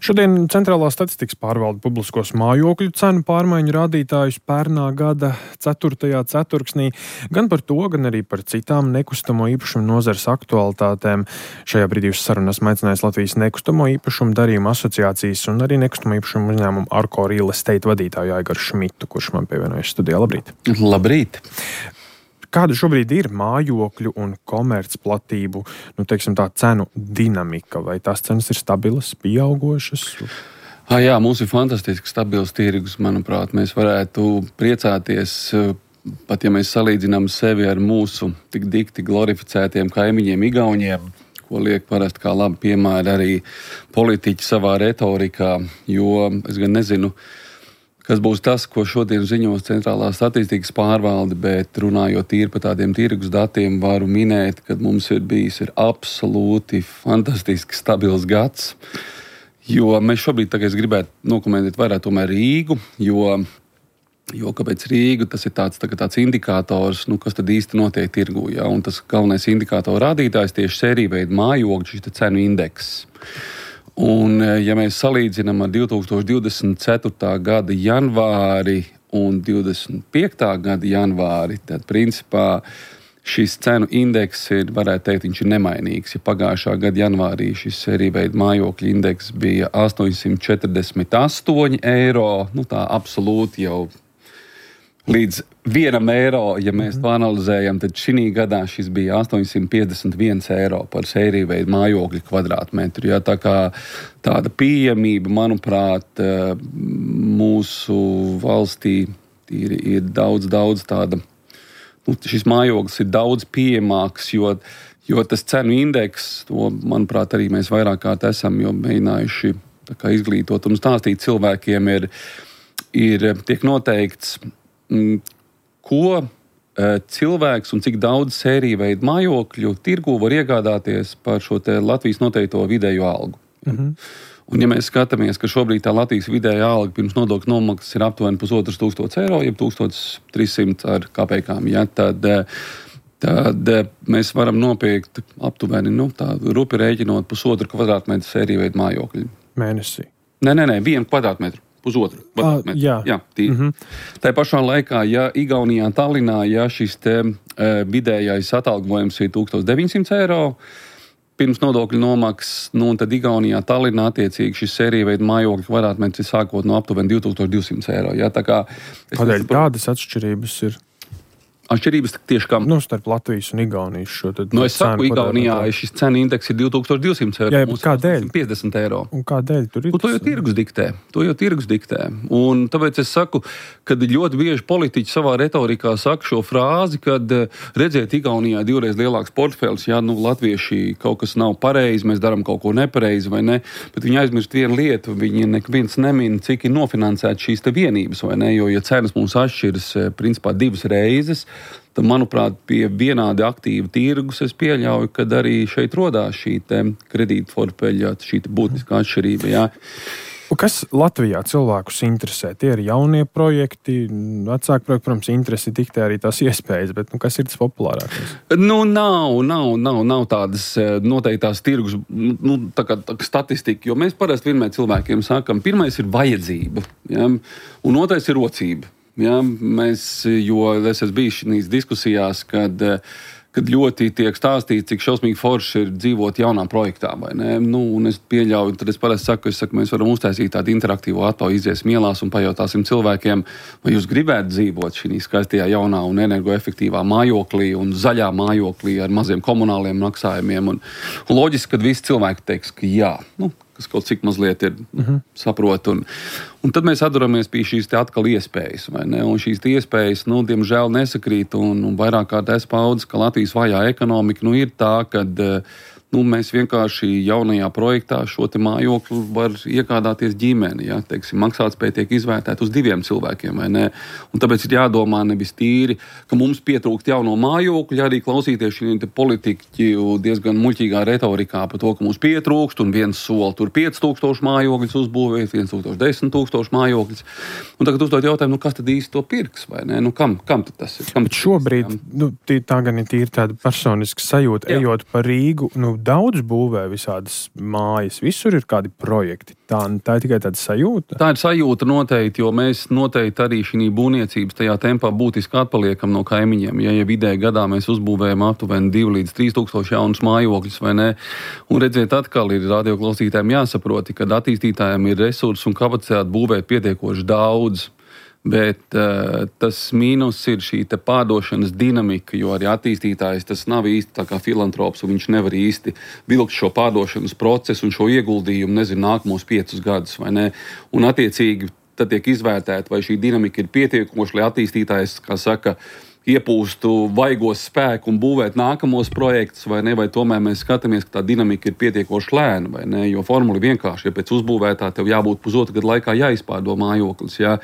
Šodien Centrālā statistikas pārvalde publiskos mājokļu cenu pārmaiņu rādītājus pērnā gada 4. ceturksnī, gan par to, gan arī par citām nekustamo īpašumu nozares aktualitātēm. Šajā brīdī uz sarunu esmu aicinājis Latvijas nekustamo īpašumu darījumu asociācijas un arī nekustamo īpašumu uzņēmumu Arko Real Estate vadītāju Aigaru Šmitu, kurš man pievienojas studijā. Labrīt! Labrīt! Kāda šobrīd ir mājokļu un komercplatību, cenu dinamika? Vai tās cenas ir stabilas, pieaugošas? Jā, mums ir fantastiski stabils tirgus, manuprāt. Mēs varētu priecāties, pat ja mēs salīdzinām sevi ar mūsu tik dikti glorificētiem kaimiņiem Igauniem, ko liek parasti kā labi piemēri arī politiķi savā retorikā, jo es gan nezinu, kas būs tas, ko šodien ziņos Centrālā statistikas pārvalde, bet runājot tīri par tādiem tirgus datiem, varu minēt, ka mums ir bijis absolūti fantastiski stabils gads, jo mēs šobrīd, es gribētu nokomentēt vairāk tomēr Rīgu, jo kāpēc Rīgu, tas ir tāds indikators, kas tad īsti notiek tirgū, ja? Un tas galvenais indikātora rādītājs tieši sērīveida mājokļu, šis cenu indeks. Un, ja mēs salīdzinām ar 2024. gada janvāri un 2025. gada janvāri, tad principā šis cenu indeks ir, varētu teikt, viņš ir nemainīgs. Ja pagājušā gada janvārī šis sērīveida mājokļu indeks bija 848 eiro, tā absolūti jau līdz 1 eiro, ja mēs to analizējam, tad šī gadā šis bija 851 eiro par sērīveidu mājokļu kvadrātmetru. Ja, tā kā tāda pieejamība, manuprāt, mūsu valstī ir daudz tāda, šis mājoklis ir daudz pieejamāks, jo tas cenu indeks, to, manuprāt, arī mēs vairāk kārt esam jau mēģinājuši izglītot un stāstīt cilvēkiem, tiek noteikts, ko cilvēks un cik daudz sērīveidu mājokļu tirgū var iegādāties par šo te Latvijas noteikto vidējo algu. Un ja mēs skatāmies, ka šobrīd tā Latvijas vidējā alga pirms nodokļu nomaksas ir aptuveni 1500 eiro, jeb 1300 ar kapekām, ja, tad mēs varam nopirkt aptuveni, tādu rupi rēķinot 1,5 kvadrātmetru sērīveidu mājokļu. Mēnesī? Nē, 1 kvadrātmetru. 1,5 kvadrātmetru. Jā, tā pašā laikā, ja Igaunijā, Tallinā, ja šis vidējais atalgojums ir 1900 eiro, pirms nodokļu nomaksas, tad Igaunijā, Tallinā attiecīgi šis sērīveida mājokļu kvadrātmetrs ir sākot no aptuveni 2200 eiro. Ja, kādēļ tādas atšķirības ir? Atšķirības tieši kā... starp Latvijas un Igaunijas šo tad... es saku, Igaunijā šis cenu indeks ir 2200 eiro. Jā, bet kādēļ? 50 eiro. Un kādēļ tur ir? To jau tirgus diktē. Un tāpēc es saku, kad ļoti bieži politiķi savā retorikā saka šo frāzi, kad redziet, Igaunijā 2 reizes lielāks portfēlis, latvieši kaut kas nav pareizi, mēs darām kaut ko nepareizi vai ne, bet viņi aizmirst vienu lietu, viņi neviens nemin, cik ir nofinansēts šīs te vienības vai ne, jo ja cenas mums atšķiras principā 2 reizes, tad, manuprāt, pie vienādi aktīva tirgus es pieļauju, kad arī šeit rodās šī kredītportfeļa, šī būtiskā atšķirība. Jā. Kas Latvijā cilvēkus interesē? Tie ir jaunie projekti, vecāki projekti, protams, interesi diktē arī tās iespējas, bet kas ir tas populārākais? Nav tādas noteiktās tirgus tā kā statistika, jo mēs parasti vienmēr cilvēkiem sakam, pirmais ir vajadzība, ja, un otrais ir rocība. Ja, jo es esmu bijis šīs diskusijās, kad ļoti tiek stāstīts, cik šausmīgi forši ir dzīvot jaunā projektā, vai ne? Un es pieļauju, tad es parasti saku, mēs varam uztaisīt tādu interaktīvu atomu, iziesim ielās un pajautāsim cilvēkiem, vai jūs gribētu dzīvot šī skaistajā jaunā un energoefektīvā mājoklī un zaļā mājoklī ar maziem komunāliem maksājumiem. Un loģiski, kad visi cilvēki teiks, ka jā, kas kaut cik mazliet ir saprot. Un tad mēs atduramies pie šīs te atkal iespējas, vai ne? Un šīs iespējas, diemžēl nesakrīt, un vairāk kārt es paudzes, ka Latvijas vājā ekonomika, ir tā, kad mēs vienkārši jaunajā projektā šo te mājokli var iegādāties ģimeni, ja, maksātspēja tiek izvērtēta uz 2 cilvēkiem, vai ne? Un tāpēc ir jādomā nevis tīri, ka mums pietrūkst jauno mājokļu, arī klausīties šī politiķu diezgan muļķīgā retorikā par to, ka mums pietrūkst, un viens soli tur 5000 mājokļus uzbūvēt, 10 000 mājokļus. Un tagad uzdot jautājumu, kas tad īsti to pirks, vai ne? Kam tad tas ir? Bet šobrīd, tā gan ir tīri tāda personiska sajūta, ejot pa Rīgu, daudz būvē visādas mājas, visur ir kādi projekti. Tā ir tikai tāda sajūta? Tā ir sajūta noteikti, jo mēs noteikti arī šī būvniecības tajā tempā būtiski atpaliekam no kaimiņiem. Ja vidēji gadā mēs uzbūvējam aptuveni 2 līdz 3 tūkstoši jaunus mājokļus, vai ne? Un redziet, atkal ir radioklausītājiem jāsaproti, ka attīstītājiem ir resursi un kapacitāte būvēt pietiekoši daudz. Bet tas mīnus ir šī pārdošanas dinamika, jo arī attīstītājs tas nav īsti tā kā filantrops, un viņš nevar īsti vilkt šo pārdošanas procesu un šo ieguldījumu, nākamos 5 gadus, vai ne? Un attiecīgi tad tiek izvērtēta, vai šī dinamika ir pietiekoša, lai attīstītājs, kā saka, iepūstu vaigos spēku un būvēt nākamos projektus, vai ne, vai tomēr mēs skatāmies, ka tā dinamika ir pietiekoši lēna, vai ne, jo formula ir vienkārši, ja pēc uzbūvētā tev jābūt pusotru gadu laikā jāizpārdo mājoklis, jā.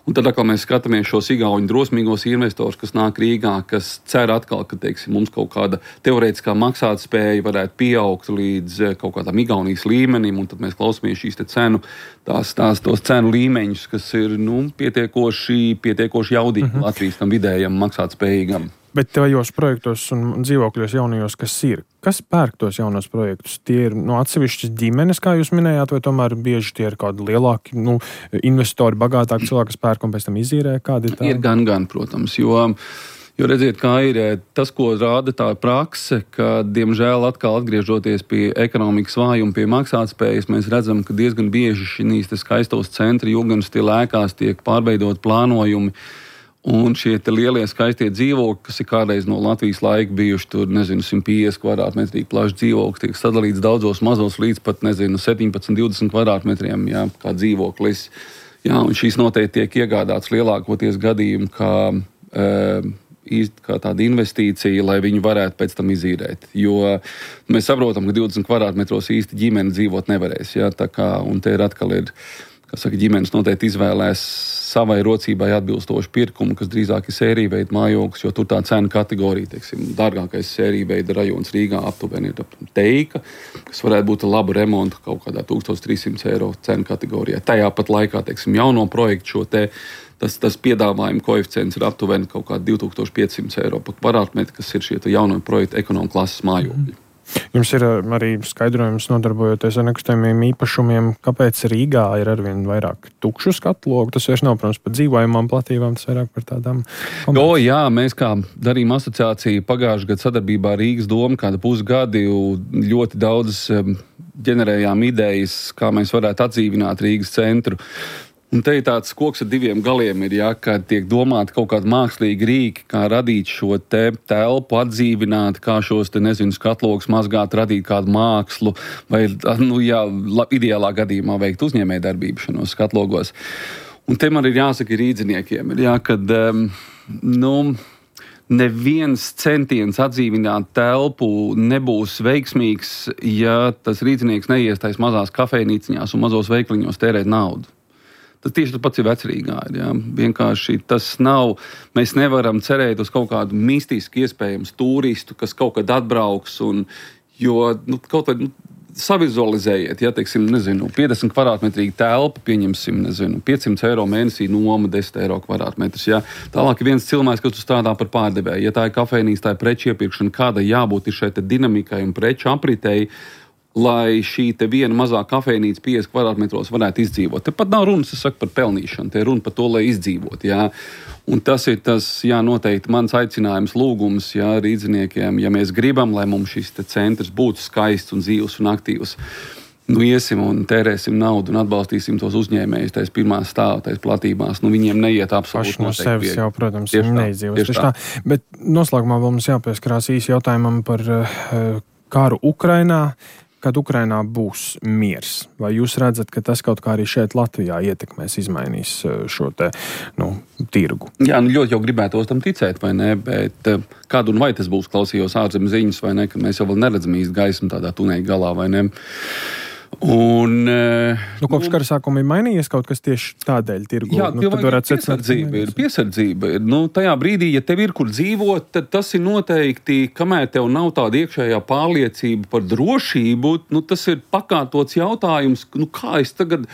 Un tad atkal mēs skatāmies šos igauņu drosmīgos investorus, kas nāk Rīgā, kas cer atkal, ka, teiksim, mums kaut kāda teorētiskā maksātspēja varētu pieaugt līdz kaut kādam Igaunijas līmenim, un tad mēs klausāmies šīs tos cenu līmeņus, kas ir, pietiekoši jaudīgi Latvijas tam vidējam maksātspējīgam. Bet tajos projektos un dzīvokļos jaunajos, kas pērk tos jaunos projektus? Tie ir atsevišķas ģimenes, kā jūs minējāt, vai tomēr bieži tie ir kādi lielāki investori, bagātāki cilvēki, kas pērk un pēc tam izīrē? Kādi ir tā? Ir gan, protams, jo redziet, kā ir tas, ko rāda tā prakse, ka, diemžēl, atkal atgriežoties pie ekonomikas vājuma, pie maksātspējas, mēs redzam, ka diezgan bieži šīs skaistos centri, jūgans tie lēkās, tiek pārveidot plānojumi. Un šie lielie skaistie dzīvokļi, kas ir kādreiz no Latvijas laika bijuši tur, 150 kvadrātmetrīgi plaši dzīvokļi, tiek sadalīts daudzos mazos līdz pat, 17-20 kvadrātmetriem, jā, kā dzīvoklis. Jā, un šīs noteikti tiek iegādāts lielākoties gadījumi, kā tāda investīcija, lai viņi varētu pēc tam izīrēt. Jo mēs saprotam, ka 20 kvadrātmetros īsti ģimene dzīvot nevarēs, jā, tā kā, un te ir atkal ģimenes noteikti izvēlēs savai rocībai atbilstošu pirkumu, kas drīzāk ir sērija veida mājoklis, jo tur tā cena kategorija, teiksim, dārgākais sērija veida rajons Rīgā aptuveni ir Teika, kas varētu būt laba remonta kaut kādā 1300 eiro cena kategorijā. Tajā pat laikā, teiksim, jauno projektu tas piedāvājuma koeficients ir aptuveni kaut kā 2500 eiro par kvadrātmetru, kas ir šie jauno projektu ekonomu klases mājokļi. Jums ir arī skaidrojums nodarbojoties ar nekustamiem īpašumiem, kāpēc Rīgā ir arvien vairāk tukšu skatlogu. Tas vairs nav, protams, par dzīvojamām platībām, tas vairāk par tādām. Jā, mēs kā darījuma asociācija pagājušajā gadā sadarbībā ar Rīgas domu kādu pusgadi ļoti daudz ģenerējām idejas, kā mēs varētu atdzīvināt Rīgas centru. Un te ir tāds koks ar 2 galiem, kad tiek domāti kaut kādi mākslīgi rīki, kā radīt šo telpu, atdzīvināt, kā šos skatlogus mazgāt, radīt kādu mākslu, vai, ideālā gadījumā veikt uzņēmējdarbību šajos skatlogos. Un te man ir jāsaka rīdziniekiem, kad, neviens centiens atdzīvināt telpu nebūs veiksmīgs, ja tas rīdzinieks neiestais mazās kafejnīciņās un mazos veikliņos tērēt naudu. Tas tieši pats ir Vecrīgā. Jā. Vienkārši tas nav. Mēs nevaram cerēt uz kaut kādu mistisku iespējams turistu, kas kaut kad atbrauks. Kaut vai savizualizējiet, ja, teiksim, 50 kvadrātmetrīga telpa, pieņemsim, 500 eiro mēnesī noma, 10 eiro kvadrātmetrs. Ja. Tālāk ir viens cilvēks, kas strādā par pārdevēju. Ja tā ir kafejnīca, tā ir preču iepirkšana, kādai jābūt ir šai dinamikai un preču apritei, lai šī viena mazā kafejnīca 50 kvadrātmetros varētu izdzīvot. Te pat nav runas, par pelnīšanu, te ir runa par to, lai izdzīvot. Jā. Un tas ir noteikti mans aicinājums, lūgums, rīdziniekiem, ja mēs gribam, lai mums šis centrs būtu skaists un dzīvs un aktīvs. Iesim un tērēsim naudu un atbalstīsim tos uzņēmējus tais pirmā stāva, tais platībās. Viņiem neiet absolūti no sevis jau, protams, neizdzīvos. Bet noslēgumā vēl mums jāpieskarās īsi jautājumam par karu Ukrainā. Kad Ukrainā būs miers? Vai jūs redzat, ka tas kaut kā arī šeit Latvijā ietekmēs, izmainīs šo tirgu? Jā, ļoti jau gribētos tam ticēt, vai ne? Bet kādu un vai tas būs, klausījos ārzemju ziņas, vai ne? Ka mēs jau vēl neredzam īsti gaismu tādā tuneļa galā, vai ne? Un, kopš kara sākuma ir mainījies kaut kas tieši tādēļ tirgu? Jā, piesardzība ir. Tajā brīdī, ja tev ir kur dzīvot, tad tas ir noteikti, kamēr tev nav tāda iekšējā pārliecība par drošību, tas ir pakārtots jautājums, kā es tagad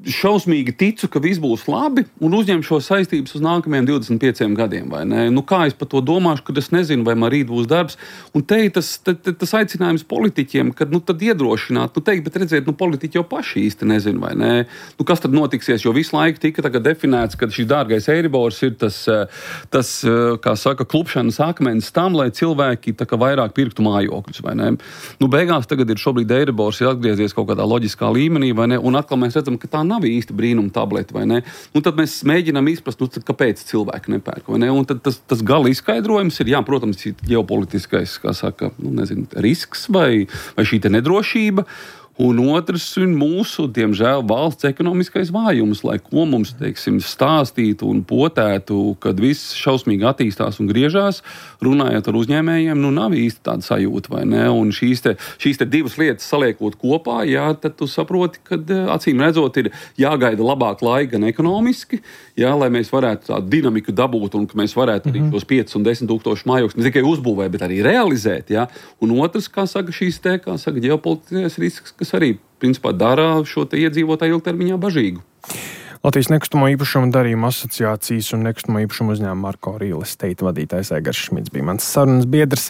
šausmīgi ticu, ka viss būs labi un uzņem šo saistības uz nākamajiem 25 gadiem, vai ne? Nu, kā es par to domāšu, kad es nezinu, vai man rīt būs darbs. Un te ir tas aicinājums politiķiem, kad tad iedrošināt, teikt, bet redziet, politiķi jau paši īsti nezinu, vai ne? Kas tad notiksies, jo visu laiku tika tagad definēts, ka šis dārgais Eiribors ir tas kā saka, klupšanas akmens tam, lai cilvēki vairāk pirktu mājokļus, vai ne? Beigās tagad ir šobrīd Eiribors ir atgriezies kaut kādā loģiskā līmenī, vai ne? Un atkal mēs redzam, ka tā nav īsti brīnuma tablete, vai ne? Tad mēs mēģinām izprast, kāpēc cilvēki nepērk, vai ne? Un tad tas gala izskaidrojums ir, jā, protams, ģeopolitiskais, kā saka, risks vai šī nedrošība. Un otrs ir mūsu, diemžēl, valsts ekonomiskais vājums, lai ko mums, teiksim, stāstītu un potētu, kad viss šausmīgi attīstās un griežās, runājot ar uzņēmējiem, nav īsti tāda sajūta, vai ne? Un šīs te divas lietas saliekot kopā, jā, tad tu saproti, ka acīm redzot ir jāgaida labāk laika gan ekonomiski, jā, lai mēs varētu tādu dinamiku dabūt un ka mēs varētu arī tos 5 un 10 tūkstošu mājokļus ne tikai uzbūvēt, bet arī realizēt, jā. Un otrs, kā saka, ģeopolitiskais risks, kas arī, principā, dara šo te iedzīvotāju ilgtermiņā bažīgu. Latvijas nekustamo īpašumu darījuma asociācijas un nekustamo īpašumu uzņēmuma Marko Real Estate vadītājs Aigars Šmits bija mans sarunas biedrs.